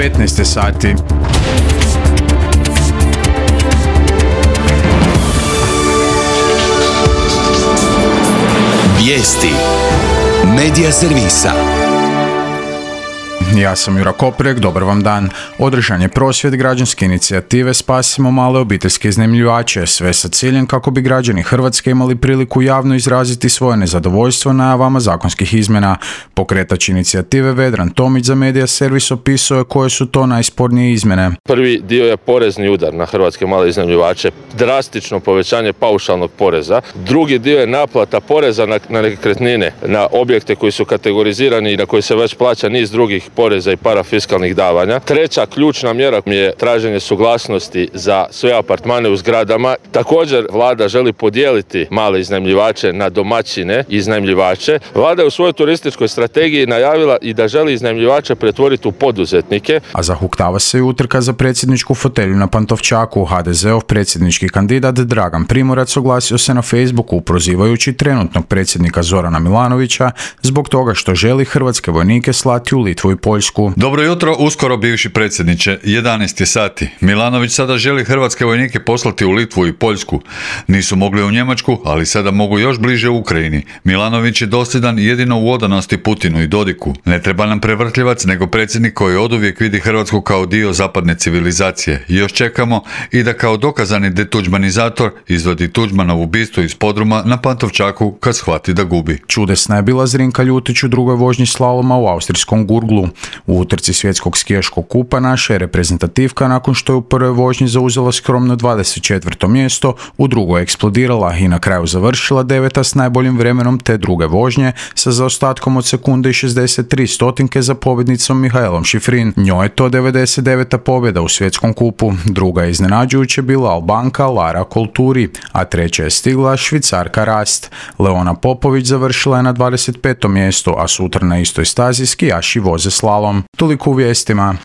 15 sati. Vijesti Medija servisa. Ja sam Jura Koprek, dobar vam dan. Održan je prosvjed građanske inicijative Spasimo male obiteljske iznajmljivače, sve sa ciljem kako bi građani Hrvatske imali priliku javno izraziti svoje nezadovoljstvo najavama zakonskih izmjena. Pokretač inicijative Vedran Tomić za Medija servis opisao je koje su to najspornije izmjene. Prvi dio je porezni udar na hrvatske male iznajmljivače, drastično povećanje paušalnog poreza. Drugi dio je naplata poreza na nekretnine, na objekte koji su kategorizirani i na koji se već plaća niz drugih poreza i parafiskalnih davanja. Treća ključna mjera je traženje suglasnosti za sve apartmane u zgradama. Također vlada želi podijeliti male iznajmljivače na domaćine i iznajmljivače. Vlada je u svojoj turističkoj strategiji najavila i da želi iznajmljivače pretvoriti u poduzetnike. A zahuktava se i utrka za predsjedničku fotelju na Pantovčaku. HDZ-ov predsjednički kandidat Dragan Primorac oglasio se na Facebooku prozivajući trenutnog predsjednika Zorana Milanovića zbog toga što želi hrvatske vojnike slati u Litvu i Poljsku. Dobro jutro, uskoro bivši predsjedniče, 11 je sati. Milanović sada želi hrvatske vojnike poslati u Litvu i Poljsku. Nisu mogli u Njemačku, ali sada mogu još bliže u Ukrajini. Milanović je dosljedan jedino u odanosti Putinu i Dodiku. Ne treba nam prevrtljivac, nego predsjednik koji oduvijek vidi Hrvatsku kao dio zapadne civilizacije. I još čekamo i da kao dokazani detuđmanizator izvodi Tuđmanovu bistu iz podruma na Pantovčaku kad shvati da gubi. Čudesna je bila Zrinka Ljutić u drugoj vožnji slaloma u austrijskom Gurglu. U utrci svjetskog skijaškog kupa naša je reprezentativka nakon što je u prvoj vožnji zauzela skromno 24. mjesto, u drugoj eksplodirala i na kraju završila 9. s najboljim vremenom te druge vožnje sa zaostatkom od sekunde i 63 stotinke za pobjednicom Mihaelom Šifrin. Njoj je to 99. pobjeda u svjetskom kupu. Druga je iznenađujuće bila Albanka Lara Kolturi, a treća je stigla Švicarka Rast. Leona Popović završila je na 25. mjestu, a sutra na istoj stazi skijaši voze slalom. Toliko u vijestima.